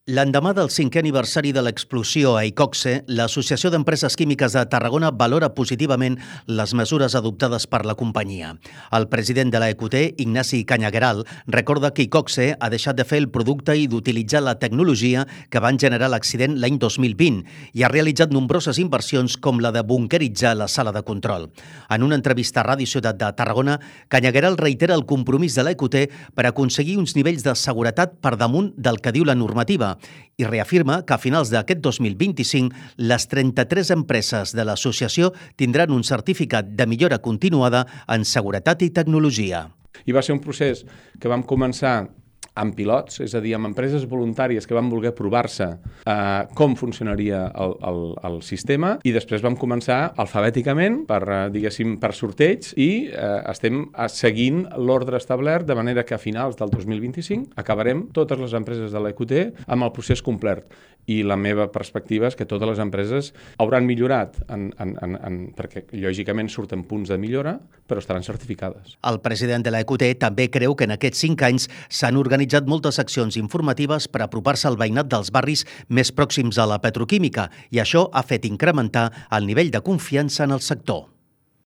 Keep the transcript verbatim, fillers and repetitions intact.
L'endemà del cinquè aniversari de l'explosió a Iqoxe, l'Associació d'Empreses Químiques de Tarragona valora positivament les mesures adoptades per la companyia. El president de la E Q T, Ignasi Cañagueral, recorda que Iqoxe ha deixat de fer el producte i d'utilitzar la tecnologia que van generar l'accident l'any dos mil vint i ha realitzat nombroses inversions com la de bunkeritzar la sala de control. En una entrevista a Ràdio Ciutat de Tarragona, Cañagueral reitera el compromís de la E Q T per aconseguir uns nivells de seguretat per damunt del que diu la normativa i reafirma que a finals d'aquest dos mil vint-i-cinc les trenta-tres empreses de l'associació tindran un certificat de millora continuada en seguretat i tecnologia. I va ser un procés que vam començar amb pilots, és a dir, amb empreses voluntàries que van voler provar-se eh, com funcionaria el, el, el sistema, i després vam començar alfabèticament per, eh, diguéssim, per sorteig, i eh, estem seguint l'ordre establert, de manera que a finals del dos mil vint-i-cinc acabarem totes les empreses de l'E Q T amb el procés complet. I la meva perspectiva és que totes les empreses hauran millorat, en, en, en, en, perquè lògicament surten punts de millora, però estaran certificades. El president de la E Q T també creu que en aquests cinc anys s'han organitzat moltes accions informatives per apropar-se al veïnat dels barris més pròxims a la petroquímica, i això ha fet incrementar el nivell de confiança en el sector.